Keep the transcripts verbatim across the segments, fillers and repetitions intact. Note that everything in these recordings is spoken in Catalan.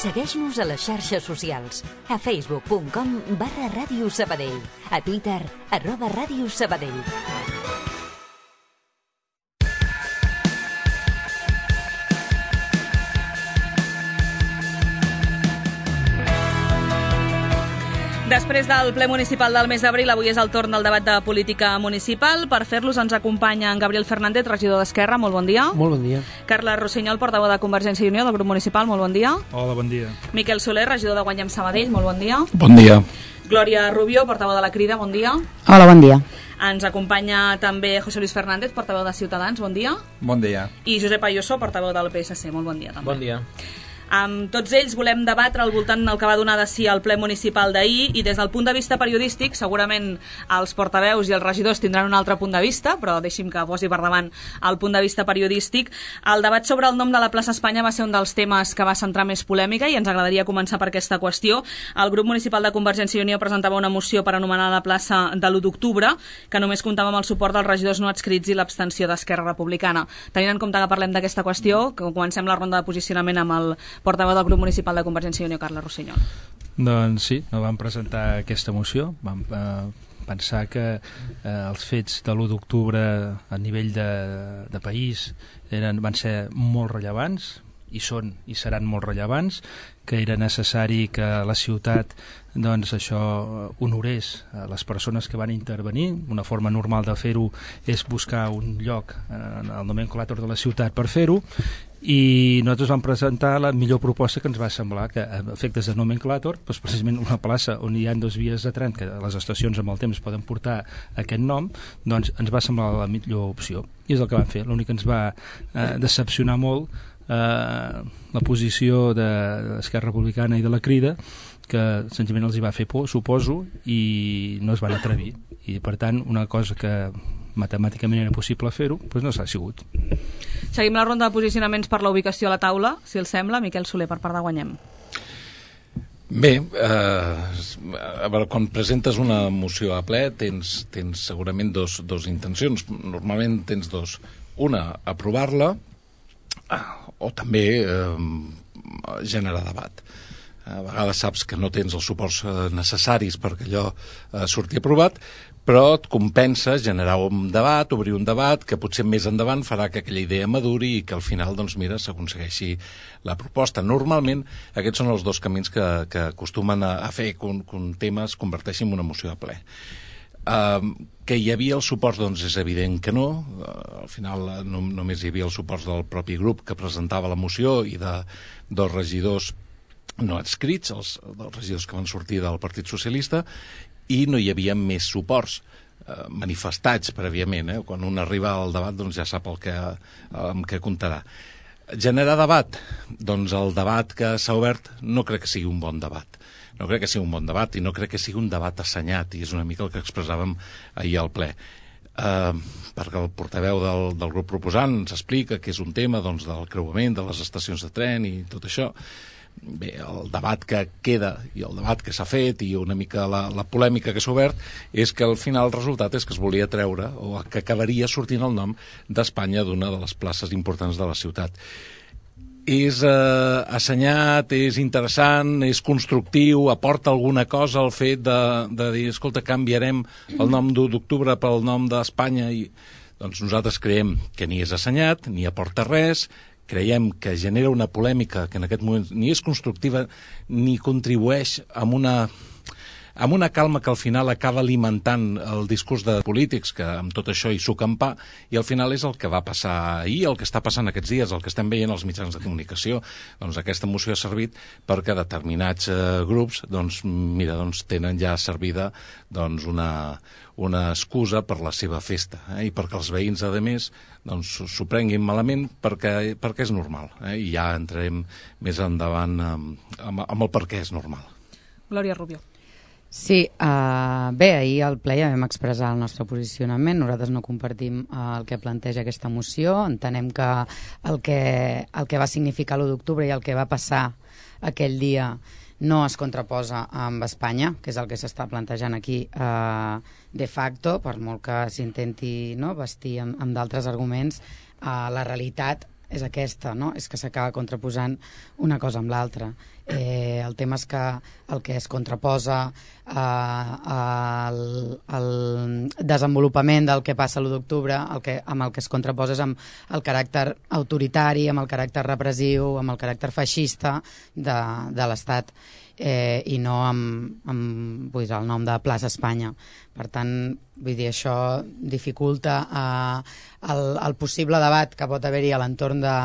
Segueix-nos a les xarxes socials, a facebook punt com barra Ràdio Sabadell, a Twitter, arroba Ràdio Sabadell. Després del ple municipal del mes d'abril, avui és el torn del debat de política municipal. Per fer-los ens acompanya en Gabriel Fernández, regidor d'Esquerra. Molt bon dia. Molt bon dia. Carles Rossinyol, portaveu de Convergència i Unió del grup municipal. Molt bon dia. Hola, bon dia. Miquel Soler, regidor de Guanyem Sabadell. Molt bon dia. Bon dia. Glòria Rubio, portaveu de la Crida. Bon dia. Hola, bon dia. Ens acompanya també José Luis Fernández, portaveu de Ciutadans. Bon dia. Bon dia. I Josep Ayuso, portaveu del P S C. Molt bon dia també. Bon dia. Amb tots ells volem debatre al voltant del que va donar de si al ple municipal d'ahir, i des del punt de vista periodístic segurament els portaveus i els regidors tindran un altre punt de vista, però deixi'm que posi per davant el punt de vista periodístic. El debat sobre el nom de la plaça Espanya va ser un dels temes que va centrar més polèmica i ens agradaria començar per aquesta qüestió. El grup municipal de Convergència i Unió presentava una moció per anomenar la plaça de l'u d'octubre, que només comptava amb el suport dels regidors no adscrits i l'abstenció d'Esquerra Republicana. Tenint en compte que parlem d'aquesta qüestió, que comencem la ronda de posicionament amb el portaveu del grup municipal de Convergència i Unió, Carles Rossinyol. Doncs sí, no vam presentar aquesta moció. Vam eh, pensar que eh, els fets de l'u d'octubre a nivell de, de país eren, van ser molt rellevants, i són i seran molt rellevants, que era necessari que la ciutat doncs això honorés a les persones que van intervenir. Una forma normal de fer-ho és buscar un lloc en el nomenclàtor de la ciutat per fer-ho, i nosaltres vam presentar la millor proposta que ens va semblar, que a efectes de nomenclàtor, doncs precisament una plaça on hi ha dues vies de tren, que les estacions amb el temps poden portar aquest nom, doncs ens va semblar la millor opció, i és el que vam fer. L'únic que ens va eh, decepcionar molt eh, la posició de l'Esquerra Republicana i de la Crida, que senzillament els hi va fer por, suposo, i no es van atrevir, i per tant una cosa que matemàticament era possible fer-ho, doncs no s'ha sigut. Seguim la ronda de posicionaments per la ubicació a la taula, si els sembla. Miquel Soler, per part de Guanyem. Bé, eh, a veure, quan presentes una moció a ple tens, tens segurament dos, dos intencions. Normalment tens dos. Una, aprovar-la, o també eh, generar debat. A vegades saps que no tens els suports necessaris perquè allò eh, surti aprovat, però et compensa generar un debat, obrir un debat que potser més endavant farà que aquella idea maduri i que al final, doncs mira, s'aconsegueixi la proposta. Normalment aquests són els dos camins que, que acostumen a, a fer que un, que un tema es converteixi en una moció a ple. Uh, que hi havia els suports, doncs és evident que no. Uh, al final no, només hi havia els suports del propi grup que presentava la moció i de, dels regidors no adscrits, els, dels regidors que van sortir del Partit Socialista, i no hi havia més suports eh, manifestats prèviament. Eh? Quan un arriba al debat doncs ja sap el que, amb què comptarà. Generar debat? Doncs el debat que s'ha obert no crec que sigui un bon debat. No crec que sigui un bon debat i no crec que sigui un debat assenyat, i és una mica el que expressàvem ahir al ple. Eh, perquè el portaveu del, del grup proposant ens explica que és un tema doncs, del creuament de les estacions de tren i tot això. Bé, el debat que queda i el debat que s'ha fet i una mica la, la polèmica que s'ha obert és que al final el resultat és que es volia treure o que acabaria sortint el nom d'Espanya d'una de les places importants de la ciutat. És eh, assenyat, és interessant, és constructiu, aporta alguna cosa al fet de, de dir, escolta, canviarem el nom d'u d'octubre pel nom d'Espanya, i doncs nosaltres creiem que ni és assenyat, ni aporta res. Creiem que genera una polèmica que en aquest moment ni és constructiva ni contribueix amb una, amb una calma que al final acaba alimentant el discurs de polítics que amb tot això hi suquen pa, i al final és el que va passar ahir, el que està passant aquests dies, el que estem veient als mitjans de comunicació. Doncs aquesta moció ha servit perquè determinats eh, grups doncs, mira, doncs, tenen ja servida doncs, una, una excusa per la seva festa, eh? I perquè els veïns, a més, doncs, s'ho prenguin malament perquè, perquè és normal, eh? I ja entrarem més endavant amb, amb, amb el per què és normal. Glòria Rubio. Sí, uh, bé, ahir al ple ja vam expressar el nostre posicionament. Nosaltres no compartim uh, el que planteja aquesta moció. Entenem que el que, el que va significar l'u d'octubre i el que va passar aquell dia no es contraposa amb Espanya, que és el que s'està plantejant aquí uh, de facto, per molt que s'intenti no, vestir amb, amb d'altres arguments. Uh, la realitat és aquesta, no? És que s'acaba contraposant una cosa amb l'altra. Eh, el tema és que el que es contraposa eh, al, al desenvolupament del que passa l'u d'octubre, el que, amb el que es contraposa és amb el caràcter autoritari, amb el caràcter repressiu, amb el caràcter feixista de, de l'Estat, eh, i no amb, amb vull dir, el nom de Plaça Espanya. Per tant, vull dir, això dificulta eh, el, el possible debat que pot haver-hi a l'entorn de,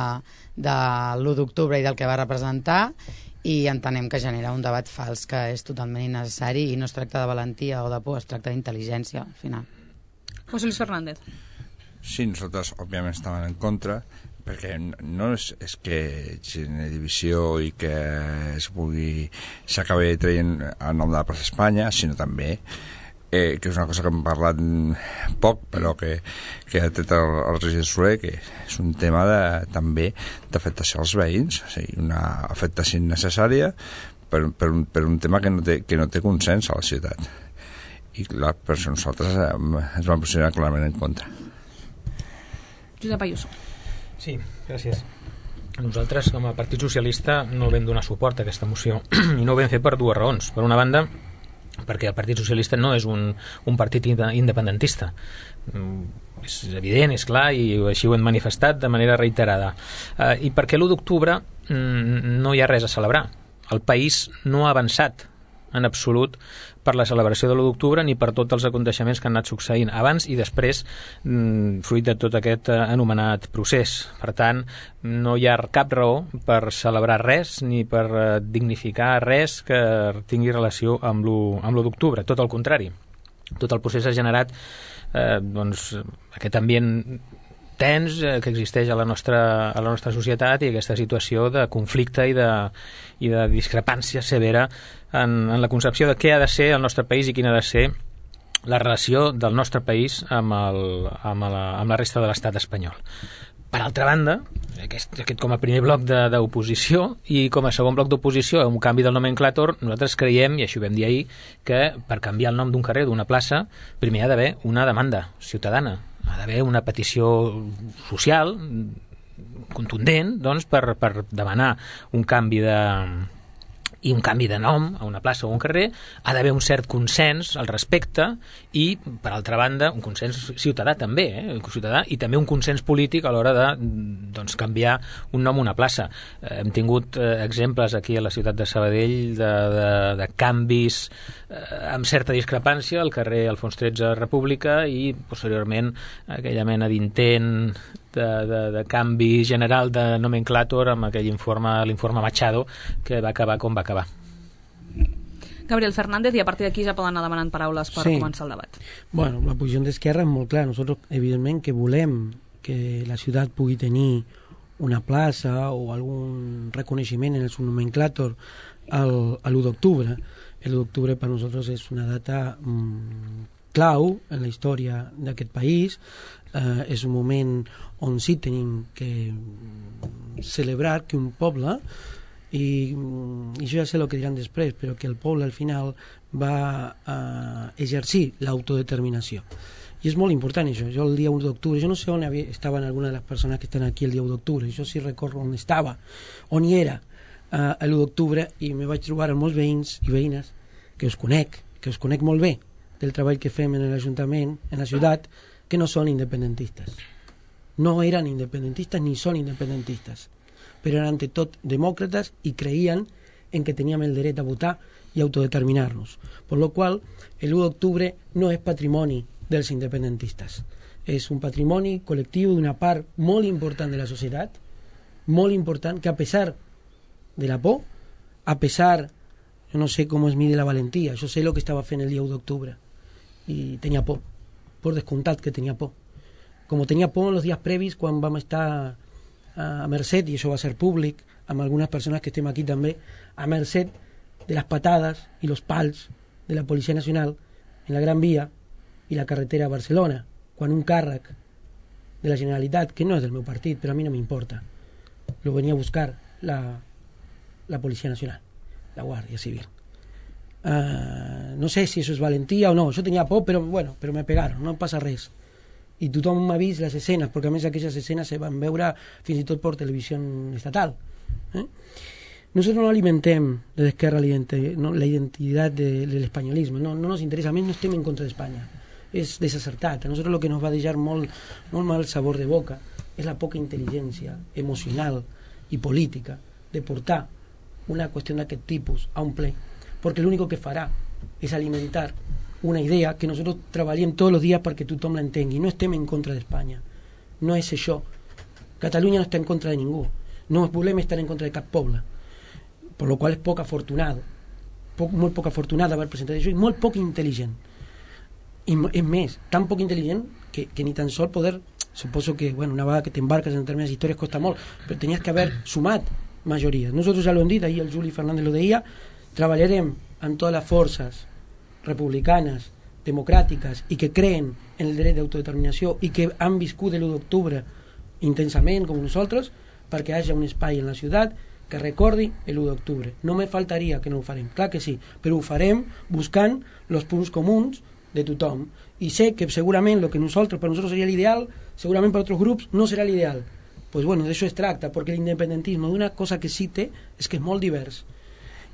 de l'u d'octubre i del que va representar, i entenem que genera un debat fals que és totalment innecessari, i no es tracta de valentia o de por, es tracta d'intel·ligència, al final. José Luis Fernández. Sí, nosaltres òbviament estàvem en contra, perquè no és, és que generi divisió i que es pugui s'acabi traient el nom de la plaça Espanya, sinó també eh, que és una cosa que hem parlat poc, però que, que ha tret el, el regidor Soler, que és un tema de, també d'afectació als veïns, o sigui, una afectació innecessària per, per, un, per un tema que no, té, que no té consens a la ciutat. I clar, per això nosaltres eh, ens vam posicionar clarament en contra. Josep Ayuso. Sí, gràcies. Nosaltres, com a Partit Socialista, no vam donar suport a aquesta moció, i no ho vam fer per dues raons. Per una banda, perquè el Partit Socialista no és un, un partit independentista. És evident, és clar, i així ho hem manifestat de manera reiterada. Eh, I perquè l'u d'octubre no hi ha res a celebrar. El país no ha avançat en absolut per la celebració de l'u d'octubre ni per tots els aconteixements que han anat succeint abans i després, fruit de tot aquest anomenat procés. Per tant, no hi ha cap raó per celebrar res ni per dignificar res que tingui relació amb l'u d'octubre. Tot el contrari. Tot el procés ha generat eh, doncs, aquest ambient tens eh, que existeix a la, nostra, a la nostra societat, i aquesta situació de conflicte i de, i de discrepància severa en, en la concepció de què ha de ser el nostre país i quina ha de ser la relació del nostre país amb, el, amb, la, amb la resta de l'estat espanyol. Per altra banda, aquest, aquest com a primer bloc d'oposició, i com a segon bloc d'oposició a un canvi del nomenclàtor, nosaltres creiem, i això ho vam dir ahir, que per canviar el nom d'un carrer, d'una plaça, primer ha d'haver una demanda ciutadana, ha d'haver una petició social contundent, doncs, per, per demanar un canvi de i un canvi de nom a una plaça o un carrer. Ha d'haver un cert consens al respecte i, per altra banda, un consens ciutadà també, eh? ciutadà, i també un consens polític a l'hora de doncs, canviar un nom a una plaça. Eh, hem tingut eh, exemples aquí a la ciutat de Sabadell de, de, de canvis eh, amb certa discrepància al carrer Alfons tretze República, i posteriorment aquella mena d'intent De, de, de canvi general de nomenclàtor amb aquell informe, l'informe Machado, que va acabar com va acabar. Gabriel Fernández, i a partir d'aquí ja poden anar demanant paraules per sí. començar el debat. Bueno, la posició d'Esquerra és molt clara. Nosaltres, evidentment, que volem que la ciutat pugui tenir una plaça o algun reconeixement en el seu nomenclàtor al, a l'u d'octubre. L'u d'octubre per nosaltres és una data mmm, clau en la història d'aquest país. Eh, és un moment on sí tenim que celebrar que un poble, i, i jo ja sé el que diran després, però que el poble al final va eh, exercir l'autodeterminació. I és molt important això. Jo el dia u d'octubre, jo no sé on havia, estaven algunes de les persones que estan aquí el dia u d'octubre, jo sí recordo on estava, on hi era eh, l'u d'octubre, i me vaig trobar amb molts veïns i veïnes que us conec, que us conec molt bé del treball que fem en l'Ajuntament, en la ciutat, que no són independentistes. No eren independentistes ni són independentistes, però eren ante tot demòcrates i creien en que teníem el dret a votar i autodeterminar-nos. Per lo qual, l'u d'octubre no és patrimoni dels independentistes. És un patrimoni col·lectiu d'una part molt important de la societat, molt important, que a pesar de la por, a pesar, jo no sé com es mide la valentia, jo sé el que estava fent el dia u d'octubre, i tenia por. Por descomptat que tenia por. Com tenia por en els dies previs, quan vam estar a merced, i això va ser públic, amb algunes persones que estem aquí també, a merced de les patades i els pals de la Policia Nacional en la Gran Via i la carretera a Barcelona, quan un càrrec de la Generalitat, que no és del meu partit, però a mi no m'importa, lo venia a buscar la, la Policia Nacional, la Guàrdia Civil. Uh, no sé si això és valentia o no, yo tenía por, pero bueno, pero me pegaron, no pasa res. i tothom ha vist les escenes, perquè a més aquelles escenes se van veure fins i tot per televisió estatal. ¿eh? Nosotros no alimentem desde Esquerra la identi- no, la identidad de, del españolismo, no, no nos interesa, a més no estem en contra d'Espanya, és desacertat. A nosaltres lo que nos va deixar molt, molt mal sabor de boca és la poca intel·ligència emocional i política de portar una qüestió d'aquest tipus a un ple, perquè l'únic que farà és alimentar una idea que nosaltres treballem tots els dies perquè tothom l'entengui. No estem en contra d'Espanya, no és això. Catalunya no està en contra de ningú, no volem estar en contra de cap poble, per lo qual és poc afortunat, poc, molt poc afortunat d'haver presentat això i molt poc intel·ligent. I és més, tan poc intel·ligent que, que ni tan sol poder, suposo que bueno, una vegada que t'embarques en determinades històries costa molt, però tenies que haver sumat majories. Nosaltres ja l'hem dit, ahir el Juli Fernández lo deia, treballarem amb totes les forces republicanes, democràtiques i que creen en el dret d'autodeterminació i que han viscut l'u d'octubre intensament com nosaltres, perquè hi hagi un espai en la ciutat que recordi l'u d'octubre. No me faltaria que no ho farem, clar que sí, però ho farem buscant els punts comuns de tothom. I sé que segurament el que nosaltres, per nosaltres seria l'ideal, segurament per altres grups no serà l'ideal. Pues bueno, d'això es tracta, perquè l'independentisme d'una cosa que sí té és que és molt divers.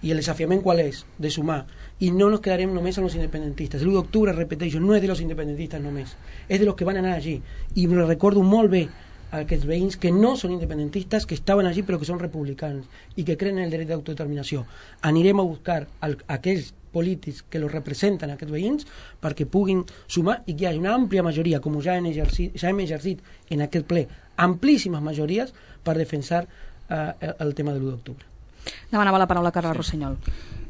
I el desafiament qual és? De sumar. I no nos quedarem només amb els independentistes. L'u d'octubre, repeteixo, no és de los independentistes només, és de los que van anar allí. I me recordo molt bé a aquests veïns que no són independentistes, que estaven allí però que són republicans i que creen en el dret d'autodeterminació. Anirem a buscar el, aquells polítics que los representen, aquests veïns, perquè puguin sumar i que hi hagi una àmplia majoria, com ja hem exercit, ja hem exercit en aquest ple, amplíssimes majories per defensar eh, el tema de l'u d'octubre. Demanava la paraula Carles Rossinyol.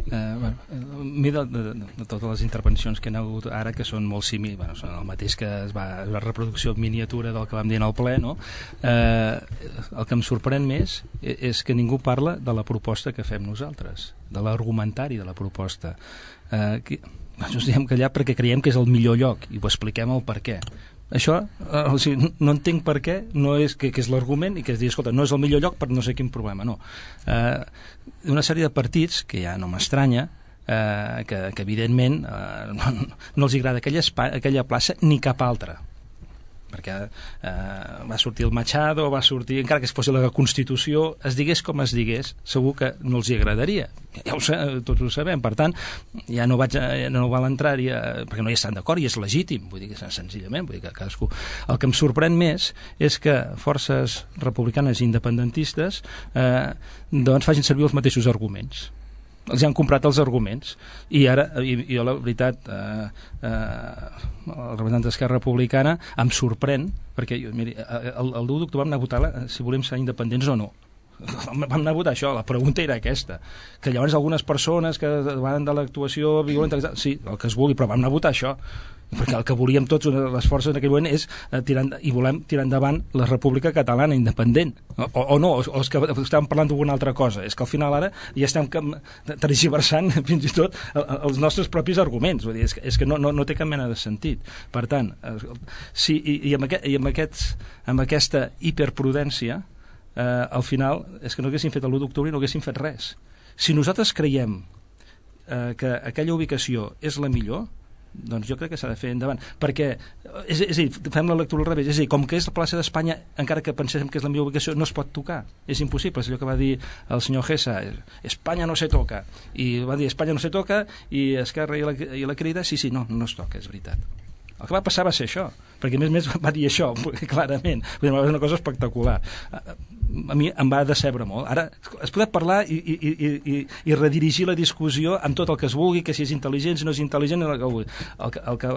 Eh, bueno, a mi de, de, de totes les intervencions que han hagut ara, que són molt similars, bueno, són el mateix que es va, la reproducció miniatura del que vam dir en el ple, no? Eh, el que em sorprèn més és que ningú parla de la proposta que fem nosaltres, de l'argumentari de la proposta. Eh, que, ens diem que allà perquè creiem que és el millor lloc i ho expliquem el per què. Això, eh, o sigui, no entenc per què, no és que, que és l'argument i que es digui, escolta, no és el millor lloc per no sé quin problema, no. Eh, una sèrie de partits, que ja no m'estranya, eh, que, que evidentment eh, no, no els agrada aquella, espai, aquella plaça ni cap altra, perquè eh, va sortir el Machado, va sortir, encara que es fos la Constitució, es digués com es digués, segur que no els hi agradaria. Ja ho sé, tots ho sabem, per tant, ja no, vaig, ja no val entrar-hi, perquè no hi estan d'acord i és legítim, vull dir que senzillament, vull dir que cadascú... El que em sorprèn més és que forces republicanes i independentistes eh, doncs facin servir els mateixos arguments. Els han comprat els arguments i ara, i, i jo la veritat eh, eh, el representant d'Esquerra Republicana em sorprèn perquè jo, miri, el, el l'u d'octubre vam anar a votar si volem ser independents o no. Vam anar a votar això, la pregunta era aquesta, que llavors algunes persones que van de l'actuació violenta, sí, el que es vulgui, però vam anar a votar això perquè el que volíem tots, les forces en aquell moment és eh, tirar, i volem tirar endavant la República Catalana independent o, o no, o, o és que estàvem parlant d'alguna altra cosa, és que al final ara ja estem tergiversant fins i tot els nostres propis arguments, vull dir, és que, és que no, no, no té cap mena de sentit. Per tant, eh, sí, i, i, amb aquest, i amb, aquests, amb aquesta hiperprudència eh, al final és que no haguéssim fet l'u d'octubre i no haguéssim fet res. Si nosaltres creiem eh, que aquella ubicació és la millor, doncs jo crec que s'ha de fer endavant, perquè és, és a dir, fem la lectura al revés, és a dir, com que és la plaça d'Espanya, encara que pensem que és la millor ubicació, no es pot tocar, és impossible, és allò que va dir el senyor Gessa, Espanya no se toca, i va dir Espanya no se toca, i Esquerra i la, i la Crida, sí, sí, no, no es toca, és veritat. El que va passar va ser això, perquè a més a més va dir això, clarament, va ser una cosa espectacular. A mi em va decebre molt. Ara es pot parlar i, i, i, i, i redirigir la discussió amb tot el que es vulgui, que si és intel·ligent, si no és intel·ligent, el que vulgui. El que, el que,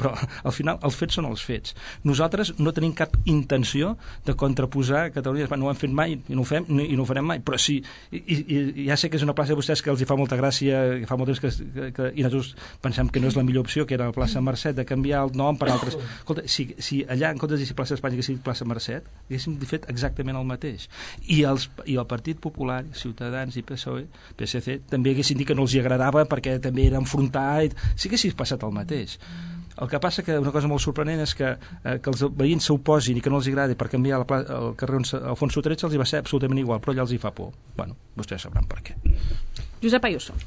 però al final els fets són els fets. Nosaltres no tenim cap intenció de contraposar Catalunya, no ho hem fet mai i no ho fem i no ho farem mai, però sí, i, i, i ja sé que és una plaça de vostès que els hi fa molta gràcia, que fa molt temps que, que, que i nosaltres pensem que no és la millor opció, que era la plaça Mercè, de canviar el nom per altres. Escolta, si, si allà en comptes de dir plaça d'Espanya que sigui plaça Mercè, haguéssim fet exactament el mateix. I, els, i el Partit Popular, Ciutadans i P S O E, P S C també haguessin dit que no els hi agradava perquè també era enfrontar i... sí que haguessis passat el mateix. El que passa que una cosa molt sorprenent és que, eh, que els veïns s'oposin i que no els agradi per canviar la pla, el carrer Alfonso tretze els hi va ser absolutament igual, però allà els hi fa por. Bueno, vostès sabran per què. Josep Ayuso.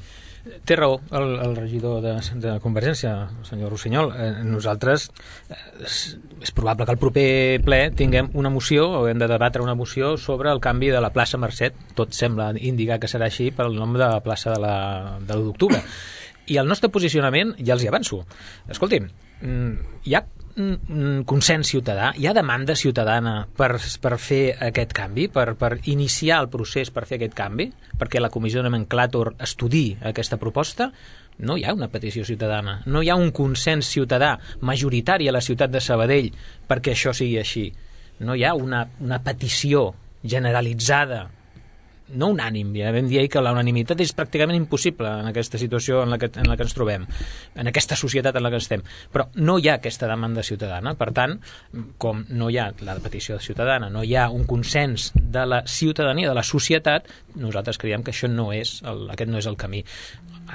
Té raó el, el regidor de, de Convergència, el senyor Rossinyol. Eh, nosaltres, eh, és, és probable que al proper ple tinguem una moció, o hem de debatre una moció sobre el canvi de la plaça Mercè. Tot sembla indicar que serà així pel nom de la plaça de l'u d'octubre. I el nostre posicionament, ja els hi avanço. Escolti'm, hi ha consens ciutadà, hi ha demanda ciutadana per, per fer aquest canvi, per, per iniciar el procés per fer aquest canvi, perquè la comissió de nomenclàtor estudi aquesta proposta. No hi ha una petició ciutadana, no hi ha un consens ciutadà majoritari a la ciutat de Sabadell perquè això sigui així. No hi ha una, una petició generalitzada, no unànim, ja vam dir que la unanimitat és pràcticament impossible en aquesta situació en la, que, en la que ens trobem, en aquesta societat en la que estem, però no hi ha aquesta demanda ciutadana. Per tant, com no hi ha la petició ciutadana, no hi ha un consens de la ciutadania, de la societat, nosaltres creiem que això no és el, aquest no és el camí.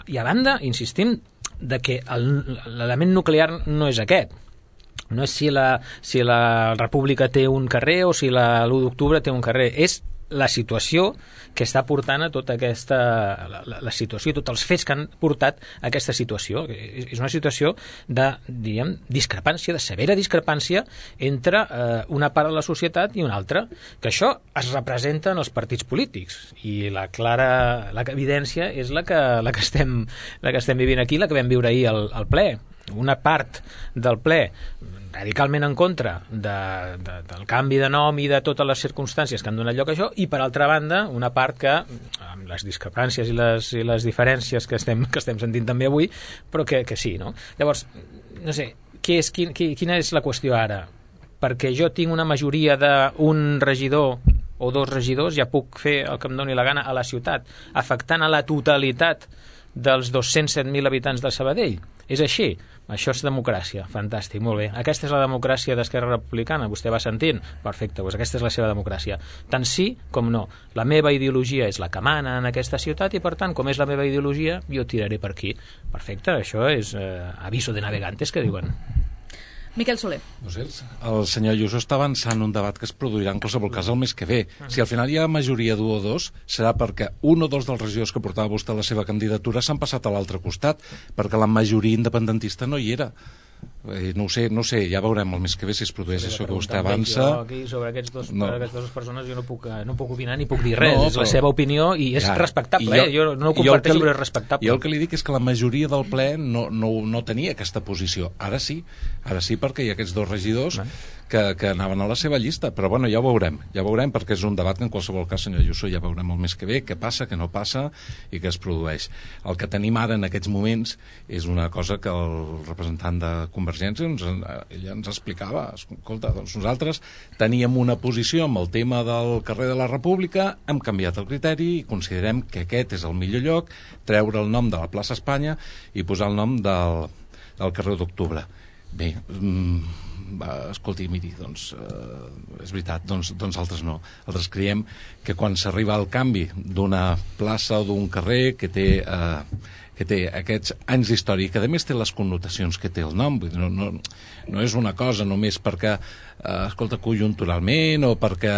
I a banda, insistim de que l'element nuclear no és aquest. No és si la, si la República té un carrer o si l'u d'octubre té un carrer, és la situació que està portant a tota aquesta la, la, la situació, tots els fets que han portat a aquesta situació. És una situació de, diríem, discrepància, de severa discrepància entre eh, una part de la societat i una altra, que això es representa en els partits polítics, i la clara la evidència és la que, la que, estem, la que estem vivint aquí, la que vam viure ahir al, al ple. Una part del ple radicalment en contra de, de, del canvi de nom i de totes les circumstàncies que han donat lloc a això, i per altra banda una part que, amb les discrepàncies i les, i les diferències que estem, que estem sentint també avui, però que, que sí, no? Llavors, no sé, què és, quin, quina és la qüestió ara? Perquè jo tinc una majoria d'un regidor o dos regidors, ja puc fer el que em doni la gana a la ciutat, afectant a la totalitat dels dos-cents set mil habitants de Sabadell. És així? Això és democràcia. Fantàstic, molt bé. Aquesta és la democràcia d'Esquerra Republicana. Vostè va sentint? Perfecte, doncs aquesta és la seva democràcia. Tant sí com no. La meva ideologia és la que mana en aquesta ciutat i, per tant, com és la meva ideologia, jo tiraré per aquí. Perfecte, això és eh, aviso de navegantes, que diuen. Miquel Soler. No sé, el senyor Ayuso està avançant un debat que es produirà en qualsevol cas el mes que ve. Si al final hi ha majoria d'un o dos, serà perquè un o dos dels regidors que portava vostè la seva candidatura s'han passat a l'altre costat, perquè la majoria independentista no hi era. Eh, no ho sé, no sé, ja veurem el mes que ve si es produeix això que vostè avança. Jo aquí sobre aquests dos, no. aquestes dues persones jo no puc, no puc opinar ni puc dir res, no, és però... la seva opinió i és ja, respectable, jo, eh? jo no ho comparteixo, però és respectable. Jo el que li dic és que la majoria del ple no, no, no tenia aquesta posició. Ara sí, ara sí perquè hi ha aquests dos regidors que, que anaven a la seva llista, però bueno, ja ho veurem, ja veurem perquè és un debat que en qualsevol cas, senyor Ayuso, ja veurem el mes que ve què passa, què no passa i què es produeix. El que tenim ara en aquests moments és una cosa que el representant de Convergència ens, ella ens explicava. Escolta, doncs nosaltres teníem una posició amb el tema del carrer de la República, hem canviat el criteri i considerem que aquest és el millor lloc, treure el nom de la plaça Espanya i posar el nom del, del carrer d'Octubre. Bé, mmm, va, escolti, miri, doncs eh, és veritat, doncs, doncs altres no. Altres creiem que quan s'arriba al canvi d'una plaça o d'un carrer que té, eh, que té aquests anys d'història, que a més té les connotacions que té el nom, vull dir, no, no, no és una cosa només perquè eh, escolta, conjunturalment o perquè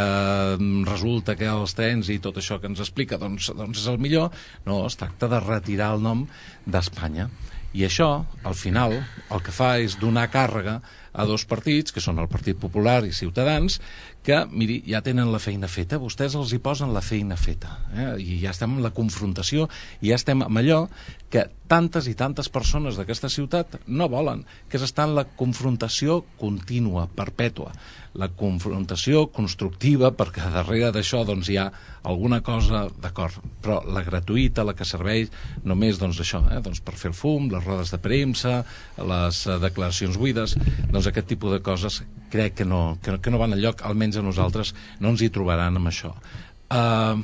resulta que els trens i tot això que ens explica doncs, doncs és el millor. No, es tracta de retirar el nom d'Espanya. I això, al final, el que fa és donar càrrega a dos partits, que són el Partit Popular i Ciutadans, que, miri, ja tenen la feina feta, vostès els hi posen la feina feta, eh? I ja estem en la confrontació, i ja estem amb allò que tantes i tantes persones d'aquesta ciutat no volen, que és estar en la confrontació contínua, perpètua, la confrontació constructiva, perquè darrere d'això doncs, hi ha alguna cosa, d'acord, però la gratuïta, la que serveix només doncs, això, eh? doncs, per fer el fum, les rodes de premsa, les uh, declaracions buides, doncs aquest tipus de coses crec que no, que, que no van enlloc, almenys a nosaltres no ens hi trobaran amb això. Uh,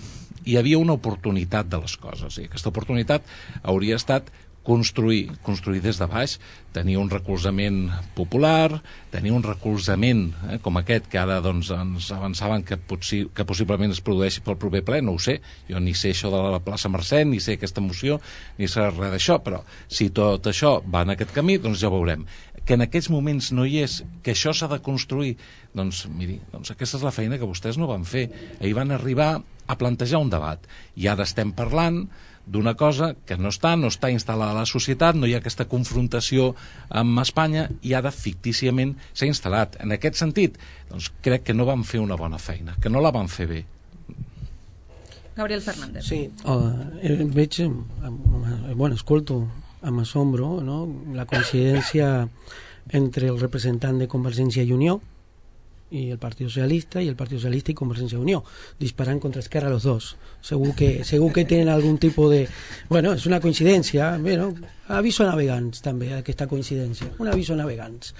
hi havia una oportunitat de les coses, i aquesta oportunitat hauria estat construir, construir des de baix, tenir un recolzament popular, tenir un recolzament eh, com aquest que ara doncs, ens avançaven que, possi que possiblement es produeixi pel proper ple, no ho sé, jo ni sé això de la plaça Mercè, ni sé aquesta moció, ni sé res d'això, però si tot això va en aquest camí, doncs ja ho veurem. que en aquests moments no hi és, que això s'ha de construir, doncs miri, doncs aquesta és la feina que vostès no van fer. Ahir van arribar a plantejar un debat i ara estem parlant d'una cosa que no està, no està instal·lada a la societat, no hi ha aquesta confrontació amb Espanya i ara fictíciament s'ha instal·lat. En aquest sentit, doncs crec que no van fer una bona feina, que no la van fer bé. Gabriel Fernández. Sí, uh, veig, uh, bueno, escolto amb assombro, no?, la coincidència entre el representant de Convergència i Unió y el Partido Socialista, y el Partido Socialista y Convergencia y Unión, disparan contra Esquerra los dos. Según que, según que tienen algún tipo de... Bueno, és una coincidència, bueno, aviso a navegants també, aquesta coincidència, un aviso a navegants.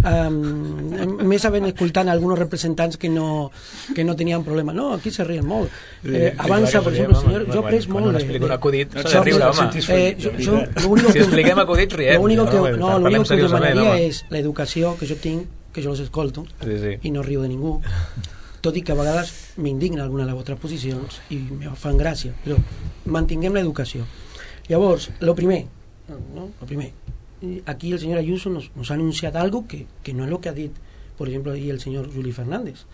Um, més havent escoltant alguns representants que no, que no tenien problema. No, aquí se ríen molt. Eh, avança, per exemple, el senyor... Jo he pres molt... Quan explico un acudit, s'ha de riure, home. Si expliquem acudits, riem. L'únic que, no, l'únic que demanaria és l'educació que jo tinc, que jo els escolto, sí, sí. I no riu de ningú, tot i que a vegades m'indigna alguna de les vostres posicions i me fan gràcia, però mantinguem l'educació. Llavors, lo primer, ¿no? Lo primer, aquí el senyor Ayuso nos, nos ha anunciat algo que, que no és el que ha dit, per exemple, ahir el senyor Juli Fernández.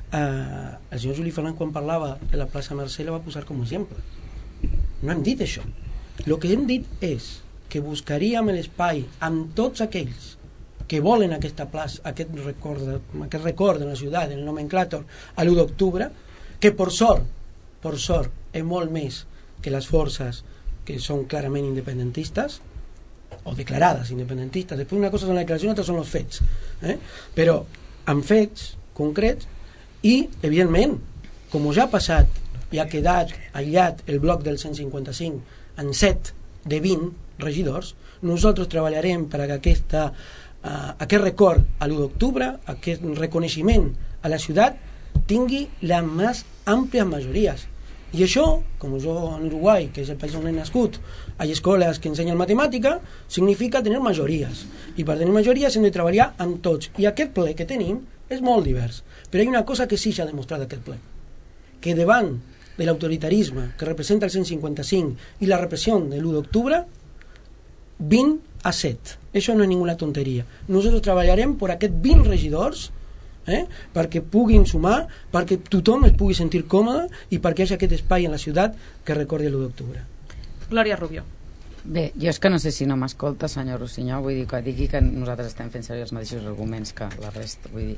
Uh, el senyor Juli Fernández, quan parlava de la plaça Mercè, la va posar com a exemple. No hem dit això. El que hem dit és que buscaríem l'espai amb tots aquells que volen aquesta plaça, aquest record, aquest record de la ciutat, en el nomenclàtor, a l'u d'octubre, que per sort, per sort, és molt més que les forces que són clarament independentistes, o declarades independentistes. Després una cosa són les declaracions, altres són els fets. Eh? Però amb fets concrets i, evidentment, com ja ha passat i ha quedat aïllat el bloc del cent cinquanta-cinc en set de vint regidors, nosaltres treballarem per a que aquesta Uh, aquest record a l'u d'octubre, aquest reconeixement a la ciutat tingui les més àmplies majories. I això, com jo en Uruguai, que és el país on he nascut, hi ha escoles que ensenyen matemàtica, significa tenir majories. I per tenir majories hem de treballar amb tots. I aquest ple que tenim és molt divers. Però hi ha una cosa que sí s'ha demostrat aquest ple, que davant de l'autoritarisme que representa el cent cinquanta-cinc i la repressió de l'u d'octubre, vint a set. Això no és ninguna tonteria. Nosaltres treballarem per aquests vint regidors, eh, perquè puguin sumar, perquè tothom es pugui sentir còmode i perquè hi hagi aquest espai en la ciutat que recordi l'u d'octubre. Glòria Rubio. Bé, jo és que no sé si no m'escolta, senyor Rossinyol, vull dir que digui que nosaltres estem fent servir els mateixos arguments que la resta, vull dir,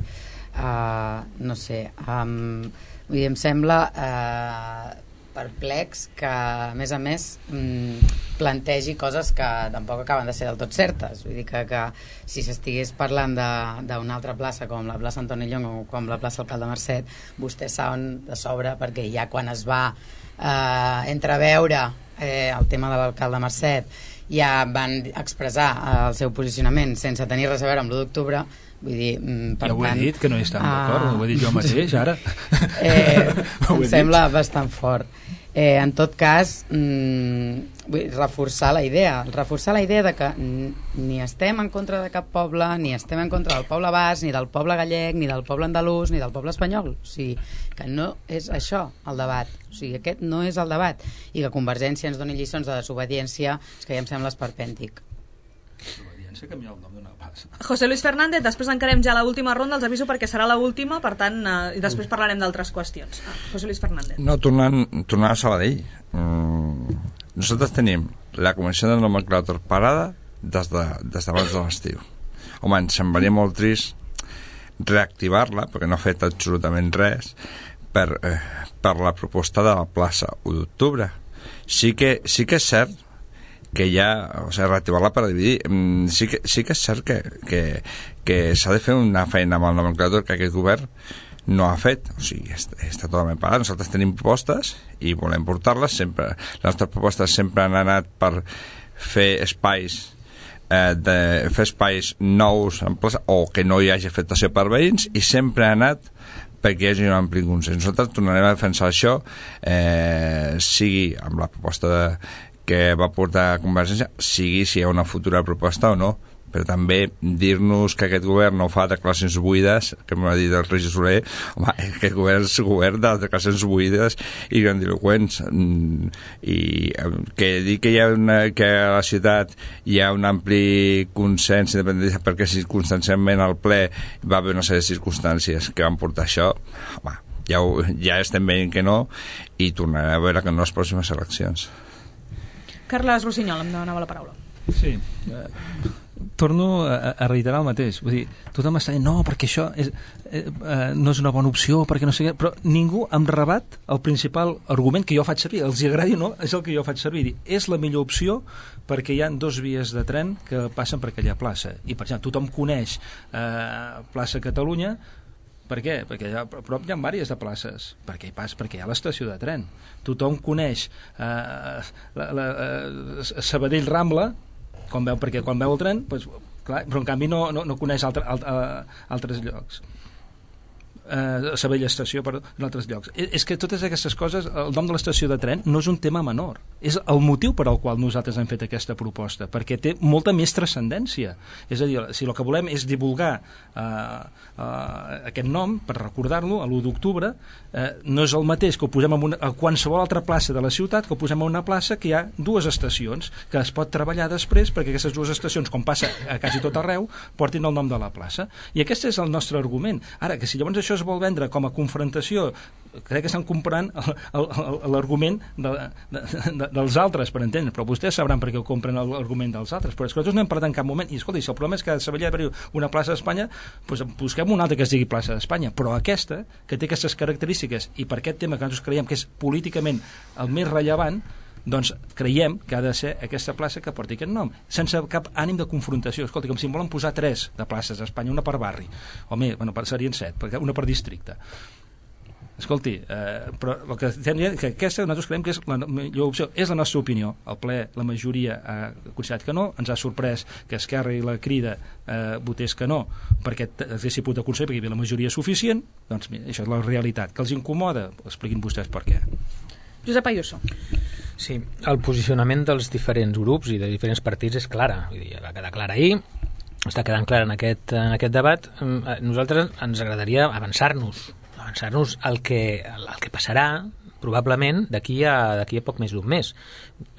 uh, no sé, um, vull dir, em sembla uh, perplex que, a més a més, mm, plantegi coses que tampoc acaben de ser del tot certes. Vull dir que, que si s'estigués parlant d'una altra plaça com la plaça Antoni Llong o com la plaça Alcalde Marcet, vostès saben de sobre, perquè ja quan es va eh, entreveure eh, el tema de l'Alcalde Marcet ja van expressar eh, el seu posicionament sense tenir res a veure amb l'u d'octubre. Vull dir, per ja ho he tant, dit, que no hi estem d'acord, uh, ho he dit jo mateix, ara. Eh, em sembla bastant fort. Eh, en tot cas, mm, vull reforçar la idea, reforçar la idea de que ni estem en contra de cap poble, ni estem en contra del poble basc, ni del poble gallec, ni del poble andalús, ni del poble espanyol. O sigui, que no és això el debat. O sigui, aquest no és el debat. I que Convergència ens doni lliçons de desobediència, és que ja em sembla esperpèntic. Canviar el nom d'una plaça. José Luis Fernández, després encarem ja l'última ronda, els aviso perquè serà l'última, per tant, eh, i després parlarem d'altres qüestions. Ah, José Luis Fernández. No, tornant, tornant a Sabadell, mm, nosaltres tenim la comissió del nomenclàtor parada des de, des d'abans de l'estiu. Home, ens semblaria molt trist reactivar-la, perquè no ha fet absolutament res, per, eh, per la proposta de la plaça u d'octubre. Sí que, sí que és cert que ja, o sigui, reactivar-la per dividir. Sí que, sí que és cert que, que, que s'ha de fer una feina amb el nomenclàtor que aquest govern no ha fet, o sigui, està, està totalment parat. Nosaltres tenim propostes i volem portar-les sempre. Les nostres propostes sempre han anat per fer espais eh, de, fer espais nous en plaça, o que no hi hagi afectació per veïns, i sempre ha anat perquè hi hagi un ampli consens. Nosaltres tornarem a defensar això, eh, sigui amb la proposta de que va portar a Convergència, sigui si hi ha una futura proposta o no, però també dir-nos que aquest govern no fa declaracions buides, que m'ha dit el Roger Soler, home, aquest govern és govern de declaracions buides i grandiloquents, i que dir que hi ha una, que a la ciutat hi ha un ampli consens independentista perquè circumstancialment al ple va haver una sèrie de circumstàncies que van portar això, home, ja, ho, ja estem veient que no, i tornarem a veure que en les pròximes eleccions. Carles Rossinyol, em demanava la paraula. Sí, eh, torno a, a reiterar el mateix. Vull dir, tothom està dient, no, perquè això és, eh, eh, no és una bona opció, perquè no sé què, però ningú em rebat el principal argument que jo faig servir, els hi agradi o no, és el que jo faig servir. Dir, és la millor opció perquè hi ha dos vies de tren que passen per aquella plaça. I, per exemple, tothom coneix eh, plaça Catalunya. Per què? Perquè a prop hi ha diverses de places. Per què hi passa? Perquè hi ha l'estació de tren. Tothom coneix eh, la, la, eh, Sabadell Rambla, quan veu, perquè quan veu el tren, doncs, clar, però en canvi no, no, no coneix altre, alt, uh, altres llocs. Uh, Sabadell Estació, perdó, en altres llocs. És, és que totes aquestes coses, el nom de l'estació de tren no és un tema menor. És el motiu per al qual nosaltres hem fet aquesta proposta, perquè té molta més transcendència. És a dir, si el que volem és divulgar uh, uh, aquest nom, per recordar-lo, a l'u d'octubre, uh, no és el mateix que ho posem en una, a qualsevol altra plaça de la ciutat, que ho posem en una plaça que hi ha dues estacions, que es pot treballar després perquè aquestes dues estacions, com passa a quasi tot arreu, portin el nom de la plaça. I aquest és el nostre argument. Ara, que si llavors això es vol vendre com a confrontació, crec que estan comprant l'argument de, de, de, dels altres, per entendre, però vostès sabran per què ho compren l'argument dels altres, però és que nosaltres no hem parlat en cap moment, i escolta, si el problema és que a Sabadell hi ha una plaça d'Espanya, doncs busquem una altra que es digui plaça d'Espanya, però aquesta, que té aquestes característiques, i per aquest tema que nosaltres creiem que és políticament el més rellevant, doncs creiem que ha de ser aquesta plaça que porti aquest nom, sense cap ànim de confrontació. Escolta, com si en volen posar tres de places a Espanya, una per barri, o més, bueno, serien set, una per districte. Escolti, eh, però el que estem dient que aquesta nosaltres creiem que és la millor opció, és la nostra opinió. El ple, la majoria ha considerat que no, ens ha sorprès que Esquerra i la Crida eh, votés que no, perquè haguessin pogut aconseguir, perquè hi havia la majoria suficient. Doncs mira, això és la realitat. Que els incomoda? Expliquin vostès per què. Josep Ayuso. Sí, el posicionament dels diferents grups i de diferents partits és clara. Vull dir, va quedar clara ahir, està quedant clar en aquest, en aquest debat. Nosaltres ens agradaria avançar-nos, avançar-nos al que, al que passarà probablement d'aquí a, d'aquí a poc més d'un mes,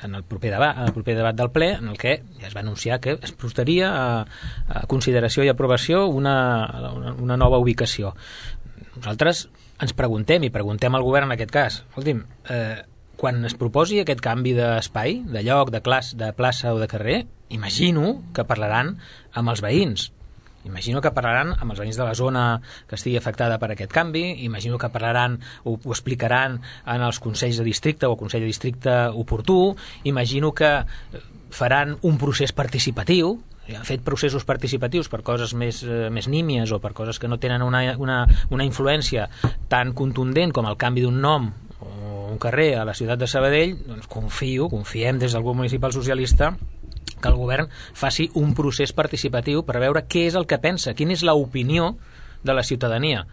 en el proper debat, en el proper debat del ple, en el que ja es va anunciar que es portaria a, a consideració i aprovació una, una, una nova ubicació. Nosaltres ens preguntem, i preguntem al govern en aquest cas, escolti'm, eh, quan es proposi aquest canvi d'espai, de lloc, de, clas, de plaça o de carrer, imagino que parlaran amb els veïns. Imagino que parlaran amb els veïns de la zona que estigui afectada per aquest canvi, imagino que parlaran o ho explicaran en els consells de districte o el consell de districte oportú, imagino que faran un procés participatiu, han fet processos participatius per coses més, eh, més nímies o per coses que no tenen una, una, una influència tan contundent com el canvi d'un nom o un carrer a la ciutat de Sabadell, doncs confio, confiem des del grup municipal socialista que el govern faci un procés participatiu per veure què és el que pensa, quina és l'opinió de la ciutadania,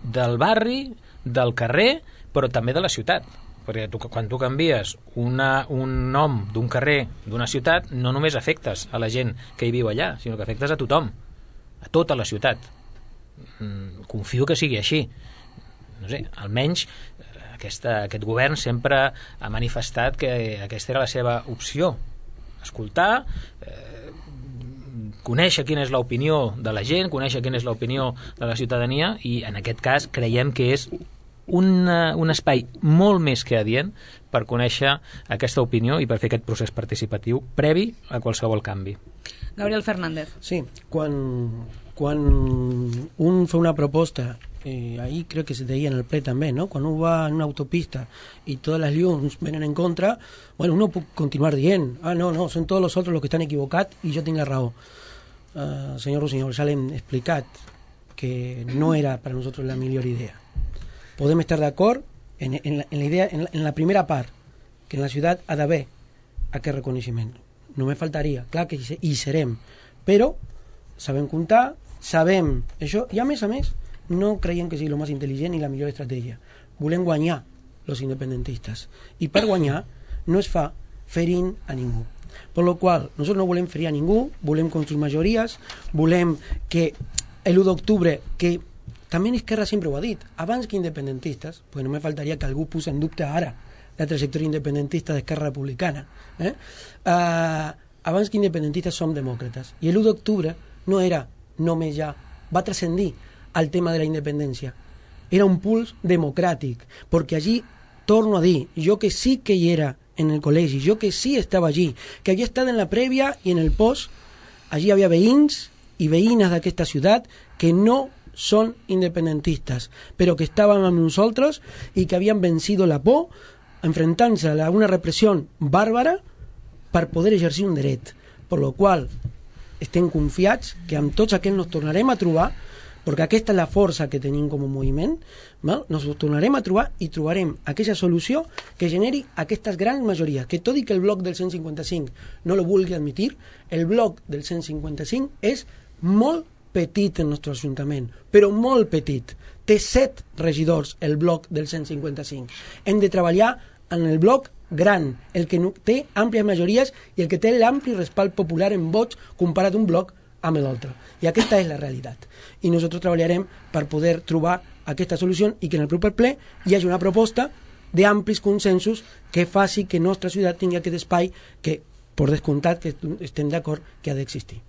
del barri, del carrer, però també de la ciutat. Perquè tu, quan tu canvies una, un nom d'un carrer, d'una ciutat, no només afectes a la gent que hi viu allà, sinó que afectes a tothom, a tota la ciutat. Confio que sigui així. No sé, almenys aquesta, aquest govern sempre ha manifestat que aquesta era la seva opció. Escoltar, eh, conèixer quina és l'opinió de la gent, conèixer quina és l'opinió de la ciutadania, i en aquest cas creiem que és un, un espai molt més que adient per conèixer aquesta opinió i per fer aquest procés participatiu previ a qualsevol canvi. Gabriel Fernández. Sí, quan, quan un fa una proposta, eh, ahí creo que se deia en el ple també, ¿no? Quan un va en una autopista y todas las llums venen en contra, bueno, uno puede continuar dient, ah, no, no, son todos los otros los que estan equivocats i jo tinc la raó. Uh, senyor Rossinyol, ja l'hem explicat que no era per a nosaltres la millor idea. Podem estar d'acord en, en, la, en la idea, en la, en la primera part, que en la ciutat ha d'haver aquest reconeixement. No me faltaria, clar que hi serem, però sabem comptar, sabem això, i a més a més no creiem que sigui el més intel·ligent i la millor estratègia. Volem guanyar els independentistes, i per guanyar no es fa ferint a ningú. Per lo qual, nosaltres no volem ferir a ningú, volem construir majories, volem que l'u d'octubre, que també Esquerra sempre ho ha dit, abans que independentistes, pues no me faltaria que algú posi en dubte ara la trajectòria independentista d'Esquerra Republicana. Eh? Uh, abans que independentistes som demòcrates. I l'u d'octubre no era només ja, va transcendir al tema de la independència. Era un puls democràtic, perquè allí, torno a dir, jo que sí que hi era en el col·legi, jo que sí estava allí, que havia estat en la prèvia i en el post, allí havia veïns i veïnes d'aquesta ciutat que no són independentistes, però que estaven amb nosaltres i que havien vencido la por enfrentant-se a una repressió bàrbara per poder exercir un dret. Per lo qual estem confiats que amb tots aquells nos tornarem a trobar, perquè aquesta és la força que tenim com a moviment, val? Nos tornarem a trobar i trobarem aquella solució que generi aquestes grans majories, que tot i que el bloc del cent cinquanta-cinc no lo vulgui admitir, el bloc del cent cinquanta-cinc és molt petit en el nostre ajuntament, però molt petit. Té set regidors el bloc del cent cinquanta-cinc. Hem de treballar en el bloc gran, el que té àmplies majories i el que té l'ampli respalt popular en vots comparat un bloc amb l'altre. I aquesta és la realitat. I nosaltres treballarem per poder trobar aquesta solució i que en el proper ple hi hagi una proposta d'amplis consensos que faci que nostra ciutat tingui aquest espai que, per descomptat, que estem d'acord que ha d'existir.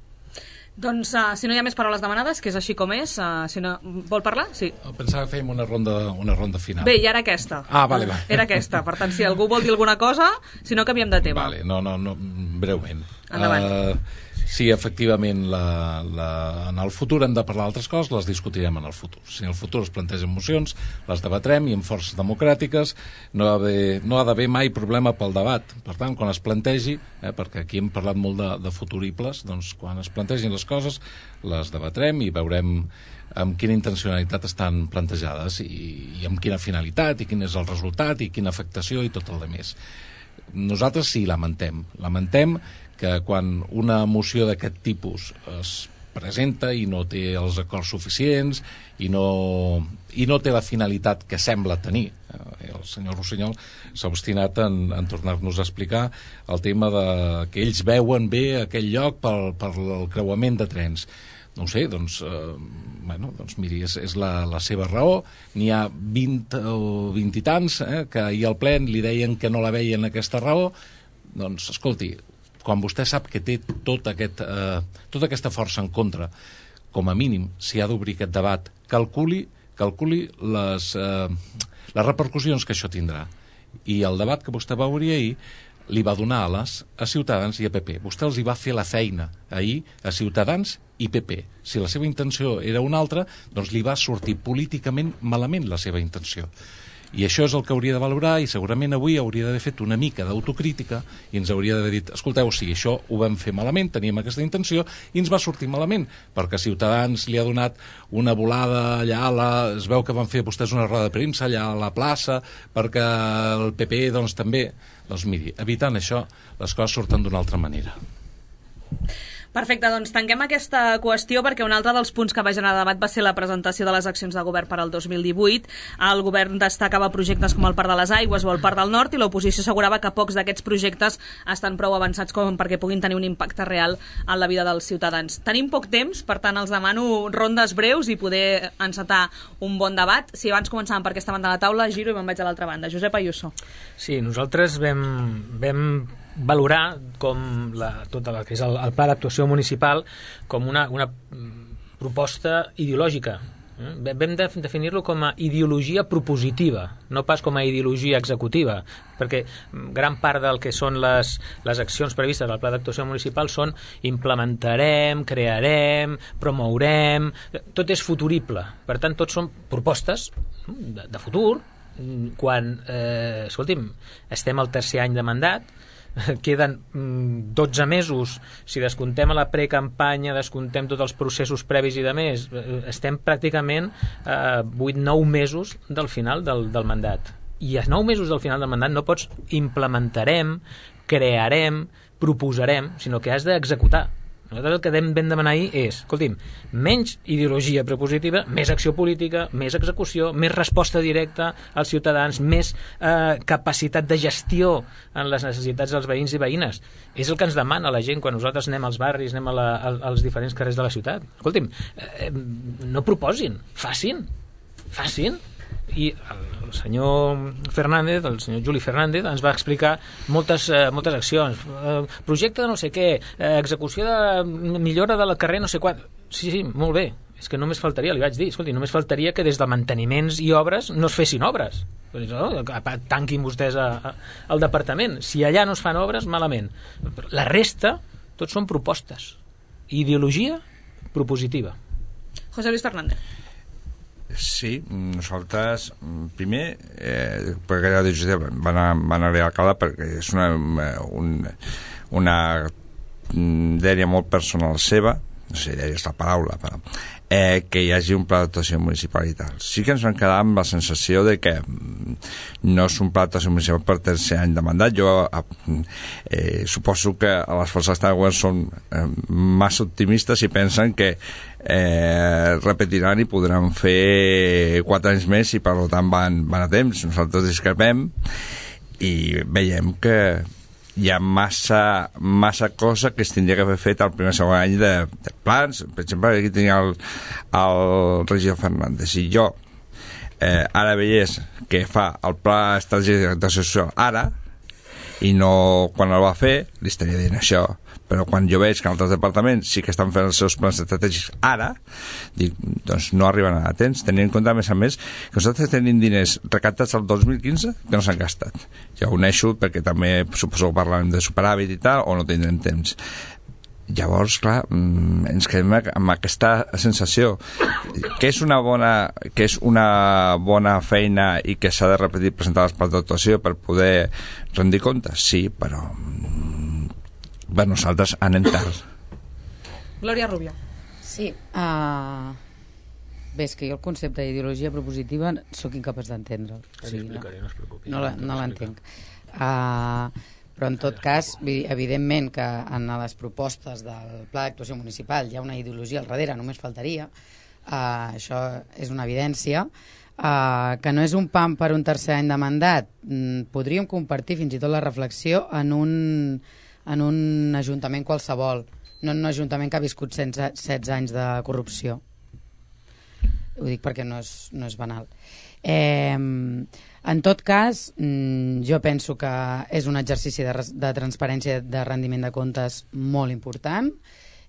Doncs, uh, si no hi ha més paraules demanades, que és així com és, uh, si no... vol parlar? Sí. Pensava que fèiem una ronda, una ronda final. Bé, i ara aquesta. Ah, vale, vale. Era aquesta, per tant, si algú vol dir alguna cosa, si no canviem de tema. Vale, no, no, no, breument. Endavant. Uh, sí, efectivament, la, la, en el futur hem de parlar d'altres coses, les discutirem en el futur. Si en el futur es plantegen mocions, les debatrem i amb forces democràtiques no ha d'haver no ha d'haver mai problema pel debat. Per tant, quan es plantegi, eh, perquè aquí hem parlat molt de, de futuribles, doncs quan es plantegin les coses les debatrem i veurem amb quina intencionalitat estan plantejades i, i amb quina finalitat i quin és el resultat i quina afectació i tot el demés. Nosaltres sí, lamentem. Lamentem que quan una moció d'aquest tipus es presenta i no té els acords suficients i no, i no té la finalitat que sembla tenir. El senyor Rossinyol s'ha obstinat en, en tornar-nos a explicar el tema de que ells veuen bé aquell lloc per, per el creuament de trens. No ho sé, doncs, eh, bueno, doncs miri, és, és la, la seva raó. N'hi ha vint o vint i tants eh, que ahir al ple li deien que no la veien aquesta raó. Doncs, escolti, quan vostè sap que té tot aquest, eh, tota aquesta força en contra, com a mínim, si ha d'obrir aquest debat, calculi, calculi les, eh, les repercussions que això tindrà. I el debat que vostè va obrir ahir li va donar ales a Ciutadans i a P P. Vostè els hi va fer la feina ahir a Ciutadans i P P. Si la seva intenció era una altra, doncs li va sortir políticament malament la seva intenció. I això és el que hauria de valorar i segurament avui hauria d'haver fet una mica d'autocrítica i ens hauria d'haver dit, escolteu, sí, això ho vam fer malament, teníem aquesta intenció i ens va sortir malament, perquè Ciutadans li ha donat una volada allà, a la, es veu que van fer vostès una roda de premsa allà a la plaça, perquè el P P doncs també, doncs miri, evitant això les coses surten d'una altra manera. Perfecte, doncs tanquem aquesta qüestió perquè un altre dels punts que va generar debat va ser la presentació de les accions de govern per al dos mil divuit. El govern destacava projectes com el Parc de les Aigües o el Parc del Nord i l'oposició assegurava que pocs d'aquests projectes estan prou avançats com perquè puguin tenir un impacte real en la vida dels ciutadans. Tenim poc temps, per tant els demano rondes breus i poder encetar un bon debat. Si abans començàvem per aquesta banda de la taula, giro i me'n vaig a l'altra banda. Josep Ayuso. Sí, nosaltres vam, vam valorar com la, tot el que és el, el pla d'actuació municipal com una, una proposta ideològica. Vam de, definir-lo com a ideologia propositiva, no pas com a ideologia executiva, perquè gran part del que són les, les accions previstes al pla d'actuació municipal són implementarem, crearem, promourem, tot és futurible. Per tant, tots són propostes de, de futur, quan, eh, escolti'm, estem al tercer any de mandat, queden dotze mesos, si descomptem a la precampanya, descomptem tots els processos previs i de més, estem pràcticament eh, vuit nou mesos del final del, del mandat. I a nou mesos del final del mandat no pots implementarem, crearem, proposarem, sinó que has d'executar. Nosaltres el que vam demanar ahir és, escolti'm, menys ideologia prepositiva, més acció política, més execució, més resposta directa als ciutadans, més eh, capacitat de gestió en les necessitats dels veïns i veïnes. És el que ens demana la gent quan nosaltres anem als barris, anem a la, als diferents carrers de la ciutat. Escolti'm, eh, no proposin, facin, facin. I el senyor Fernández, el senyor Juli Fernández, ens va explicar moltes, eh, moltes accions. Eh, projecte de no sé què, eh, execució de millora del carrer no sé quant. Sí, sí, molt bé. És que només faltaria, li vaig dir, escolti, només faltaria que des de manteniments i obres no es fessin obres. No? Tanquin vostès a, a, al departament. Si allà no es fan obres, malament. La resta, tots són propostes. Ideologia propositiva. José Luis Fernández. Sí, nosaltres primer eh, perquè la decisió van, a, van arribar a l'alcalde perquè és una, un, una dèria molt personal seva, no sé, dèria és la paraula, però eh, que hi hagi un pla d'actuació municipal i tal. Sí que ens vam quedar amb la sensació de que no és un pla d'actuació municipal per tercer any de mandat. Jo eh, suposo que les forces de govern són eh, massa optimistes i pensen que eh, repetiran i podran fer quatre anys més i per tant van, van a temps. Nosaltres discrepem i veiem que hi ha massa, massa cosa que es tindria que haver fet el primer segon any de, de plans. Per exemple, aquí tenia el, el regidor Fernández. Si jo eh, ara veiés que fa el pla estratègic d'acció social ara i no quan el va fer, li estaria dient això. Però quan jo veig que altres departaments sí que estan fent els seus plans estratègics ara, dic, doncs no arriben a temps, tenint en compte, a més a més, que nosaltres tenim diners recaptats el dos mil quinze que no s'han gastat. Ja ho uneixo perquè també suposo que parlem de superàvit i tal, o no tindrem temps. Llavors, clar, ens quedem amb aquesta sensació que és una bona, que és una bona feina i que s'ha de repetir presentar els plans d'actuació per poder rendir comptes, sí, però per nosaltres anem tard. Glòria Rubio. Sí, uh, bé, és que jo el concepte d'ideologia propositiva sóc incapaç d'entendre'l. O sigui, no, no, la, no l'entenc. Uh, però en tot cas, evidentment que en les propostes del Pla d'Actuació Municipal hi ha una ideologia al darrere, només faltaria. Uh, això és una evidència. Uh, que no és un pam per un tercer any de mandat. Mm, podríem compartir fins i tot la reflexió en un en un ajuntament qualsevol, no en un ajuntament que ha viscut setze anys de corrupció. Ho dic perquè no és, no és banal. Eh, en tot cas, jo penso que és un exercici de, de transparència de rendiment de comptes molt important,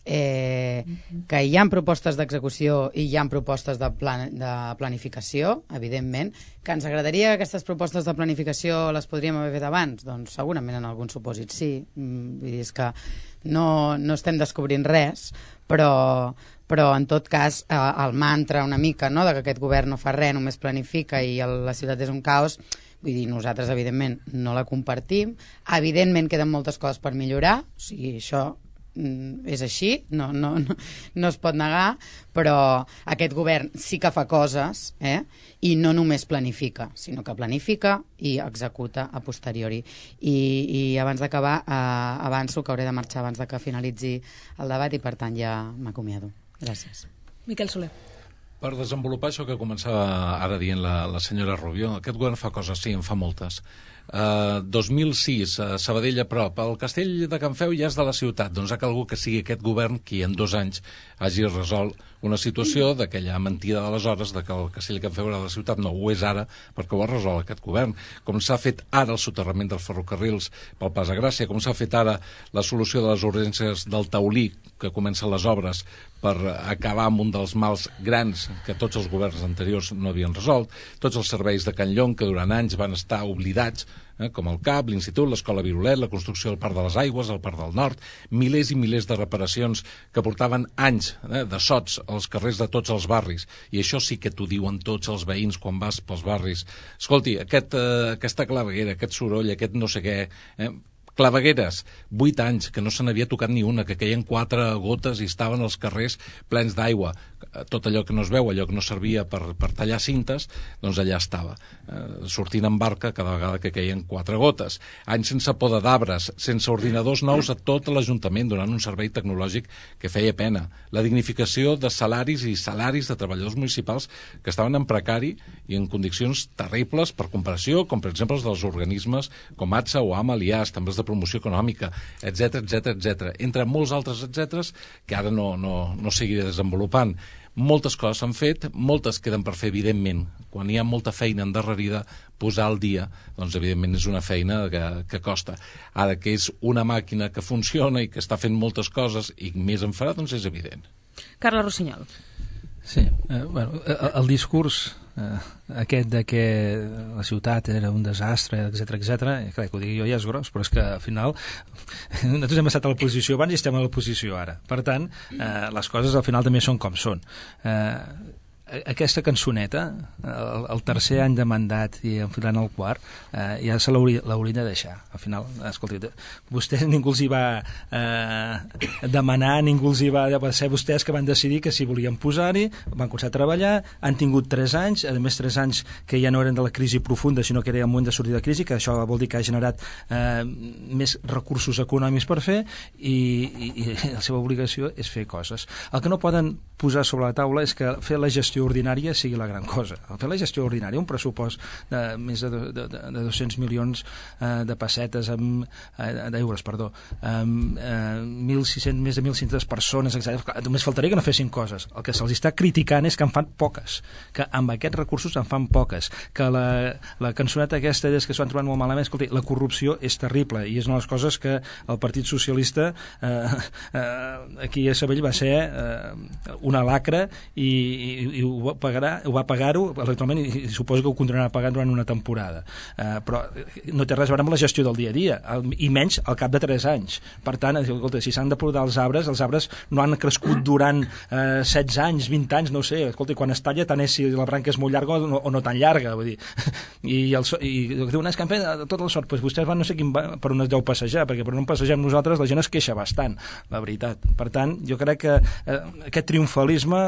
eh, que hi ha propostes d'execució i hi ha propostes de, plan, de planificació, evidentment, que ens agradaria que aquestes propostes de planificació les podríem haver fet abans, doncs segurament en algun supòsit sí, vull dir, és que no, no estem descobrint res, però, però en tot cas eh, el mantra una mica, no?, de que aquest govern no fa res, només planifica i el, la ciutat és un caos, vull dir, nosaltres evidentment no la compartim, evidentment queden moltes coses per millorar, o sigui, això és així, no, no, no, no es pot negar, però aquest govern sí que fa coses, eh? I no només planifica, sinó que planifica i executa a posteriori. I, i abans d'acabar, eh, avanço que hauré de marxar abans de que finalitzi el debat i per tant ja m'acomiado. Gràcies. Miquel Soler. Per desenvolupar això que començava ara dient la, la senyora Rubio, aquest govern fa coses, sí, en fa moltes. Uh, dos mil sis, uh, Sabadell a prop, el castell de Can Feu ja és de la ciutat, doncs ha calgut que sigui aquest govern qui en dos anys hagi resolt una situació d'aquella mentida d'aleshores de que el castell de Can Feu era de la ciutat. No ho és ara perquè ho ha resolt aquest govern, com s'ha fet ara el soterrament dels ferrocarrils pel Pas de Gràcia, com s'ha fet ara la solució de les urgències del Taulí, que comencen les obres per acabar amb un dels mals grans que tots els governs anteriors no havien resolt, tots els serveis de Can Llong que durant anys van estar oblidats, eh, com el C A P, l'Institut, l'Escola Virolet, la construcció del Parc de les Aigües, el Parc del Nord, milers i milers de reparacions que portaven anys eh, de sots als carrers de tots els barris, i això sí que t'ho diuen tots els veïns quan vas pels barris. Escolti, aquest, eh, aquesta claveguera, aquest soroll, aquest no sé què, eh, Clavegueres, vuit anys, que no se n'havia tocat ni una, que queien quatre gotes i estaven els carrers plens d'aigua. Tot allò que no es veu, allò que no servia per, per tallar cintes, doncs allà estava, eh, sortint en barca cada vegada que queien quatre gotes. Anys sense poda d'arbres, sense ordinadors nous a tot l'Ajuntament, donant un servei tecnològic que feia pena. La dignificació de salaris i salaris de treballadors municipals que estaven en precari i en condicions terribles per comparació, com per exemple els dels organismes com A T S A o A M A, l'I A S, també els de promoció econòmica, etcètera, etcètera, etcètera, entre molts altres etcèteres que ara no, no, no seguiré desenvolupant. Moltes coses s'han fet, moltes queden per fer, evidentment. Quan hi ha molta feina endarrerida, posar al dia, doncs evidentment és una feina que, que costa. Ara que és una màquina que funciona i que està fent moltes coses i més en farà, doncs és evident. Carles Rossinyol. Sí, eh, bueno, el, el discurs eh, aquest de que la ciutat era un desastre, etcètera, etcètera, clar, que ho digui jo ja és gros, però és que al final nosaltres hem estat a l'oposició abans i estem a l'oposició ara. Per tant, eh, les coses al final també són com són. Eh, aquesta cançoneta, el, el tercer any de mandat i enfilant el quart, eh, ja se l'haurien de deixar. Al final, escolti, vostès ningú els hi va eh, demanar, ningú els hi va... Va ser vostès que van decidir que si volien posar-hi, van començar a treballar, han tingut tres anys, a més tres anys que ja no eren de la crisi profunda, sinó que era el moment de sortir de crisi, que això vol dir que ha generat eh, més recursos econòmics per fer, i, i, i la seva obligació és fer coses. El que no poden posar sobre la taula és que fer la gestió ordinària sigui la gran cosa. Fer la gestió ordinària, un pressupost de més de, de, de, de dos-cents milions eh, de pessetes, amb, eh, d'euros, perdó, amb eh, mil sis-cents, més de mil cinc-centes persones, etcètera. Només faltaria que no fessin coses. El que se'ls està criticant és que en fan poques, que amb aquests recursos en fan poques, que la, la cançoneta aquesta és que s'ho han trobat molt malament. Escolti, la corrupció és terrible i és una de les coses que el Partit Socialista eh, eh, aquí a Sabadell va ser eh, una lacra i, i, i ho va pagar, ho va pagar-ho electoralment i, i suposo que ho continuarà pagant durant una temporada. Uh, però no té res a veure amb la gestió del dia a dia, el, i menys al cap de tres anys. Per tant, escolta, si s'han de podar els arbres, els arbres no han crescut durant uh, setze anys, vint anys, no ho sé. Escolta, quan es talla tant és si la branca és molt llarga o no, o no tan llarga, vull dir. I, el, i diuen, és que han fet tota la sort, doncs vostès van no sé quin, per on es deu passejar, perquè per on passegem nosaltres la gent es queixa bastant, la veritat. Per tant, jo crec que uh, aquest triomfalisme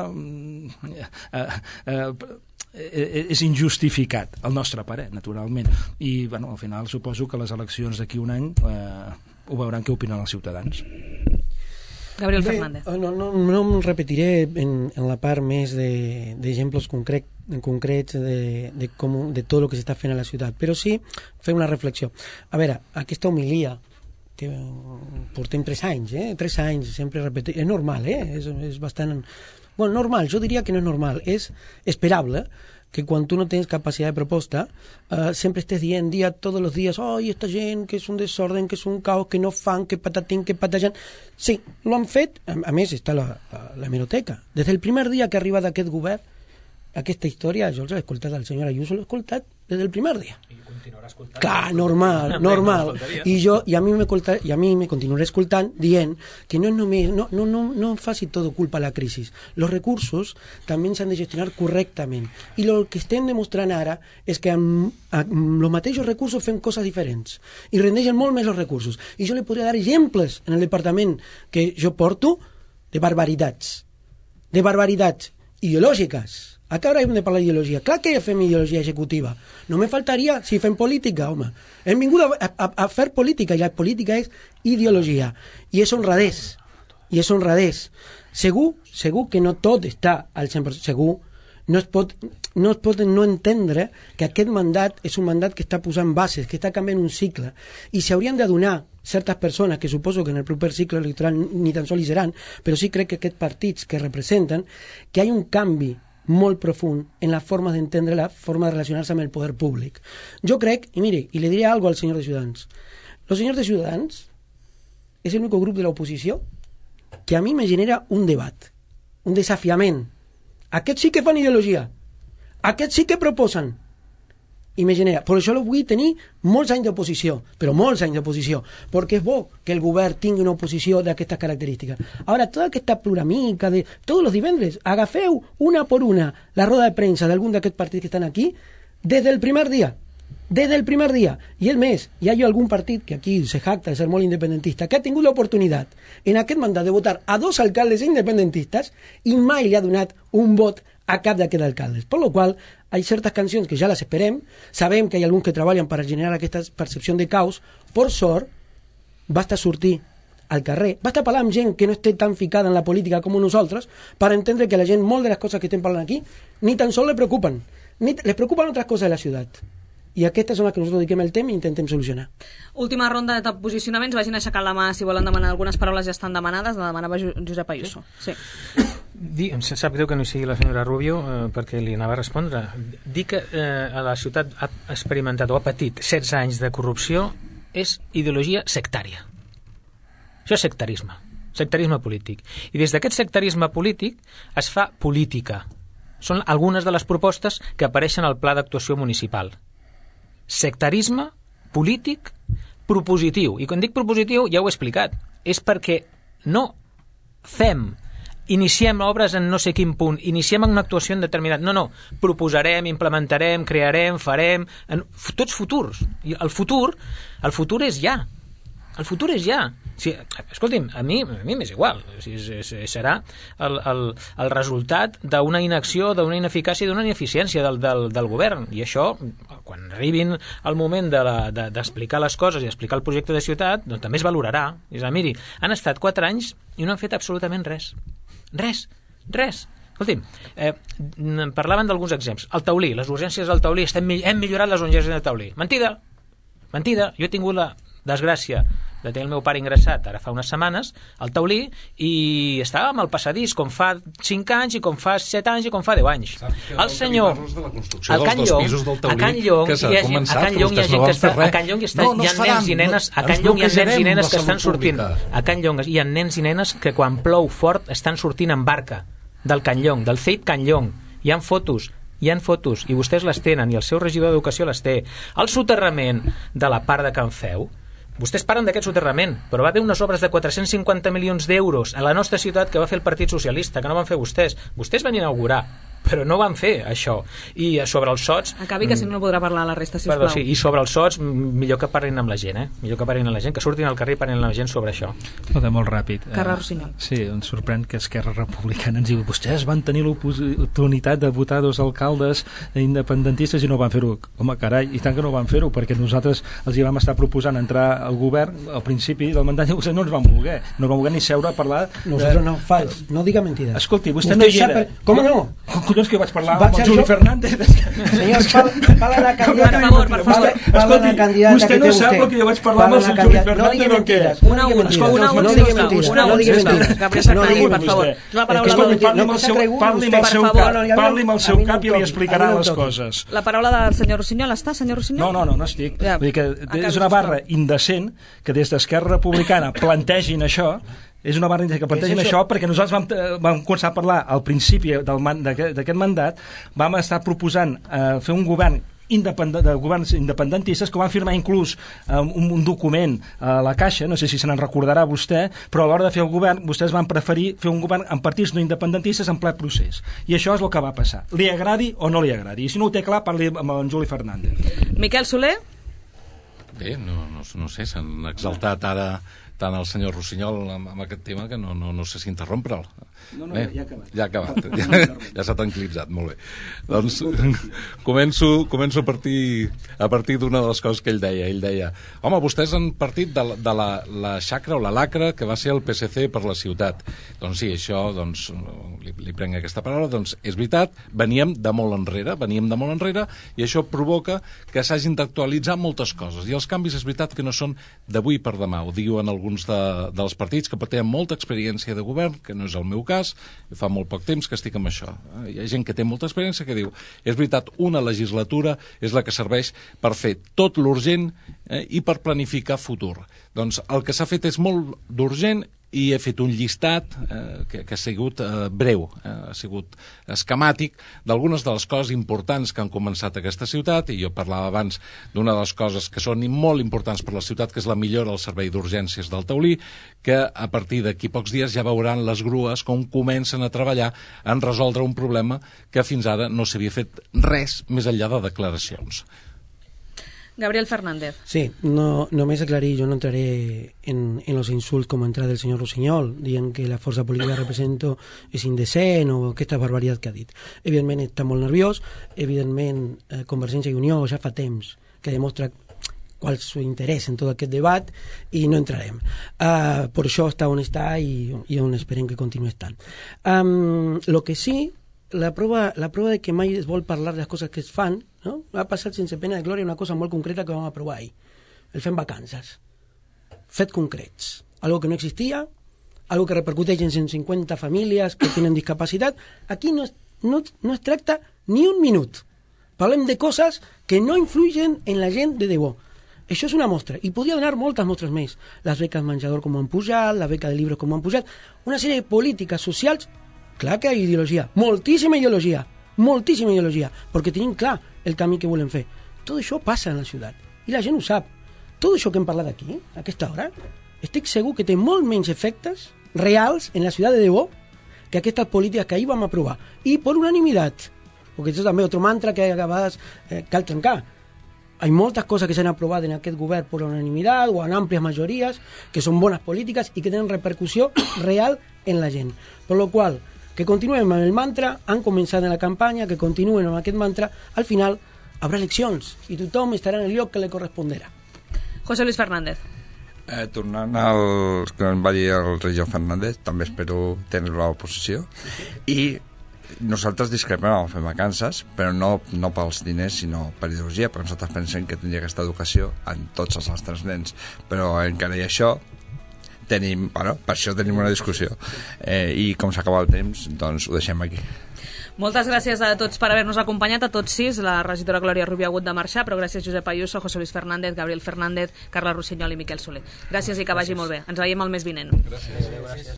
Uh, uh, és injustificat, al nostre parer, naturalment. I, bueno, al final suposo que les eleccions d'aquí un any eh, ho veuran què opinen els ciutadans. Gabriel Bé, Fernández. No, no, no em repetiré en, en la part més d'exemples de, concret, concrets de, de, com, de tot el que s'està fent a la ciutat, però sí fer una reflexió. A veure, aquesta homilia que portem tres anys, eh? tres anys, sempre repetir, és normal, eh? és, és bastant... Bueno, normal, jo diria que no és normal, és esperable que quan tu no tens capacitat de proposta eh, sempre estés dient dia tots els dies, oh, esta gent que és un desorden, que és un caos, que no fan, que patatín, que patajan. Sí, lo han fet, a, a més està la, la, la hemeroteca. Des del primer dia que ha arribat aquest govern, aquesta història, jo l'he escoltat al senyor Ayuso, l'he escoltat des del primer dia. I continuarà escoltant. Clar, normal, normal. I jo, i a mi me escolta, i a mi me continuaré escoltant dient que no és només, no, no, no, no faci tot culpa a la crisi. Los recursos també s'han de gestionar correctament. I el que estem demostrant ara és que amb, amb els mateixos recursos fem coses diferents. I rendeixen molt més els recursos. I jo li podria dar exemples en el departament que jo porto de barbaritats. De barbaritats ideològiques. A què ara hem de parlar d'ideologia? Clar que fem ideologia executiva. No me faltaria si fem política, home. Hem vingut a, a, a fer política, i la política és ideologia. I és honradès. I és honradès. Segur, segur que no tot està al cent per cent. Segur, no es pot no es pot no entendre que aquest mandat és un mandat que està posant bases, que està canviant un cicle. I s'haurien d'adonar certes persones, que suposo que en el proper cicle electoral ni tan sols hi seran, però sí crec que aquests partits que representen, que hi ha un canvi molt profund en la forma d'entendre la forma de relacionar-se amb el poder públic. Jo crec, i mire, i le diré algo al senyor de Ciutadans. Los senyors de Ciutadans és l'únic grup de l'oposició que a mi me genera un debat, un desafiament. Aquests sí que fan ideologia, aquests sí que proposen, i me genera. Per això vull tenir molts anys d'oposició, però molts anys d'oposició, perquè és bo que el govern tingui una oposició d'aquestes característiques. Ara, tota aquesta pluramica de tots els divendres, agafeu una per una la roda de premsa d'algun d'aquests partits que estan aquí, des del primer dia, des del primer dia. I és més, hi ha algun partit que aquí se jacta de ser molt independentista, que ha tingut l'oportunitat en aquest mandat de votar a dos alcaldes independentistes i mai li ha donat un vot a cap d'aquests alcaldes. Per lo qual, hi ha certes cancions que ja les esperem, sabem que hi ha alguns que treballen per generar aquesta percepció de caos, per sort, basta sortir al carrer, basta parlar amb gent que no esté tan ficada en la política com nosaltres per entendre que la gent, molt de les coses que estem parlant aquí, ni tan sols les preocupen, ni les preocupen altres coses de la ciutat. I aquestes són les que nosaltres dediquem el temps i intentem solucionar. Última ronda de posicionaments, vagin aixecant la mà si volen demanar. Algunes paraules ja estan demanades, la demanava Josep Ayuso. Sí. Di, em sap greu que no hi sigui la senyora Rubio eh, perquè li anava a respondre. Dir que eh, a la ciutat ha experimentat o ha patit setze anys de corrupció és ideologia sectària. Això és sectarisme, sectarisme polític. I des d'aquest sectarisme polític es fa política. Són algunes de les propostes que apareixen al pla d'actuació municipal. Sectarisme polític propositiu. I quan dic propositiu ja ho he explicat. És perquè no fem, iniciem obres en no sé quin punt, iniciem una actuació en determinat... No, no, proposarem, implementarem, crearem, farem... En, tots futurs. I el futur, el futur és ja. El futur és ja. Sí, escolti'm, a mi a mi m'és igual. O sigui, és, és, serà el, el, el resultat d'una inacció, d'una ineficàcia i d'una ineficiència del, del, del govern. I això, quan arribin el moment de la, de, d'explicar les coses i explicar el projecte de ciutat, doncs també es valorarà. És a dir, miri, han estat quatre anys i no han fet absolutament res. Res, res. Escolti'm, eh, parlaven d'alguns exemples. El taulí, les urgències del taulí, estem, hem millorat les urgències del taulí. Mentida, mentida. Jo he tingut la desgràcia de tenir el meu pare ingressat ara fa unes setmanes al taulí i estàvem al passadís com fa cinc anys i com fa set anys i com fa deu anys. El senyor a Can Llong a Can Llong hi ha gent que està a Can Llong hi ha nens i nenes a Can Llong hi ha nens i nenes que estan sortint a Can Llong hi ha nens i nenes que quan plou fort estan sortint en barca del Can Llong, del C I T Can Llong. Hi ha fotos hi ha fotos i vostès les tenen i el seu regidor d'Educació les té. El soterrament de la part de Can Feu, vostès parlen d'aquest soterrament, però va haver unes obres de quatre-cents cinquanta milions d'euros a la nostra ciutat que va fer el Partit Socialista, que no van fer vostès. Vostès van inaugurar, però no van fer això. I sobre els sots... Acabi, que si no no podrà parlar a la resta, sisplau. Perdó, sí, i sobre els sots, millor que parlin amb la gent, eh? Millor que parlin amb la gent, que surtin al carrer i parlin amb la gent sobre això. No, de molt ràpid. Carles Rossinyol. Sí, em sorprèn que Esquerra Republicana ens diu vostès van tenir l'oportunitat de votar dos alcaldes independentistes i no van fer-ho. Home, carai, i tant que no van fer-ho, perquè nosaltres els hi vam estar proposant entrar al govern al principi del mandat i vostès no ens van voler. No van voler ni seure a parlar... Nosaltres no, fals, no diga mentides. Escolti, vostè no hi era. Com no? Collons que vaig parlar amb el Juli Fernández. Senyor, parla la candidata. Per favor, per favor. Escolti, vostè no sap el que jo vaig parlar amb el Juli Fernández o què? Una última, no digui mentides. Una última, Gabriel Fernández, per favor. La paraula parli amb el seu cap i li explicarà les coses. La paraula del senyor Rossinyol està, senyor Rossinyol? No, no, no, no estic. Vull dir que és una barra indecent que des d'Esquerra Republicana plantegin això. És una barra que plantegin això perquè nosaltres vam, vam començar a parlar al principi d'aquest mandat, vam estar proposant eh, fer un govern independent, de governs independentistes que van firmar inclús eh, un, un document a la Caixa, no sé si se n'en recordarà vostè, però a l'hora de fer el govern vostès van preferir fer un govern amb partits no independentistes en ple procés. I això és el que va passar. Li agradi o no li agradi. I si no ho té clar, parli amb en Juli Fernández. Miquel Soler? Bé, no, no, no sé, s'han exaltat ara tant el senyor Rossinyol amb, amb aquest tema que no, no, no sé si interrompre'l. No, no, bé, ja ha acabat. Ja ha acabat, ja, ja s'ha tranquil·litzat, molt bé. Doncs començo, començo a partir, a partir d'una de les coses que ell deia. Ell deia, home, vostès han partit de, la, de la, la xacra o la lacra que va ser el P S C per la ciutat. Doncs sí, això, doncs, li, li prenc aquesta paraula, doncs és veritat, veníem de molt enrere, veníem de molt enrere, i això provoca que s'hagin d'actualitzar moltes coses. I els canvis és veritat que no són d'avui per demà, ho diuen alguns de, dels partits que tenen molta experiència de govern, que no és el meu cas, fa molt poc temps que estic amb això. Hi ha gent que té molta experiència que diu, és veritat, una legislatura és la que serveix per fer tot l'urgent eh, i per planificar futur. Doncs el que s'ha fet és molt d'urgent i he fet un llistat eh, que, que ha sigut eh, breu, eh, ha sigut esquemàtic d'algunes de les coses importants que han començat a aquesta ciutat, i jo parlava abans d'una de les coses que són molt importants per la ciutat, que és la millora del servei d'urgències del Taulí, que a partir d'aquí pocs dies ja veuran les grues com comencen a treballar en resoldre un problema que fins ara no s'havia fet res més enllà de declaracions. Gabriel Fernández. Sí, no, només aclarir, jo no entraré en, en los insults com ha entrat el senyor Rossinyol, dient que la força política que represento és indecent o aquesta barbaritat que ha dit. Evidentment està molt nerviós, evidentment eh, Convergència i Unió ja fa temps que demostra qual és el seu interès en tot aquest debat i no entrarem. Uh, per això està on està i, i on esperem que continuï estant. Um, lo que sí, la prova, la prova de que mai es vol parlar de les coses que es fan, no? Ha passat sense pena de glòria una cosa molt concreta que vam aprovar ahir. El fem vacances. Fets concrets. Algo que no existia, algo que repercuteix en cent cinquanta famílies que tenen discapacitat. Aquí no es, no, no es tracta ni un minut. Parlem de coses que no influyen en la gent de debò. Això és una mostra, i podria donar moltes mostres més. Les beques menjador com han pujat, la beca de llibres com han pujat, una sèrie de polítiques socials. Clar que hi ha ideologia, moltíssima ideologia, moltíssima ideologia, perquè tenim clar el camí que volem fer. Tot això passa en la ciutat, i la gent ho sap. Tot això que hem parlat aquí, a aquesta hora, estic segur que té molt menys efectes reals en la ciutat de debò que aquestes polítiques que ahir vam aprovar. I per unanimitat, perquè això també és otro mantra que a vegades eh, cal trencar. Hay moltes coses que s'han aprovat en aquest govern per unanimitat o en àmplies majories, que són bones polítiques i que tenen repercussió real en la gent. Per lo qual, que continuem amb el mantra, han començat en la campanya, que continuen amb aquest mantra, al final haurà eleccions i tothom estarà en el lloc que li correspondrà. José Luis Fernández. Eh, tornant al que em va dir el regidor Fernández, també espero tenir la posició, i nosaltres discrepem amb fer vacances, però no, no pels diners sinó per ideologia, perquè nosaltres pensem que tindria aquesta educació en tots els nostres nens, però encara i això tenim, bueno, per això tenim una discussió eh, i com s'acaba el temps doncs ho deixem aquí. Moltes gràcies a tots per haver-nos acompanyat, a tots sis. La regidora Glòria Rubio ha hagut de marxar, però gràcies Josep Ayuso, José Luis Fernández, Gabriel Fernández, Carla Rossinyol i Miquel Soler. Gràcies i que vagi molt bé. Ens veiem el mes vinent. Gràcies.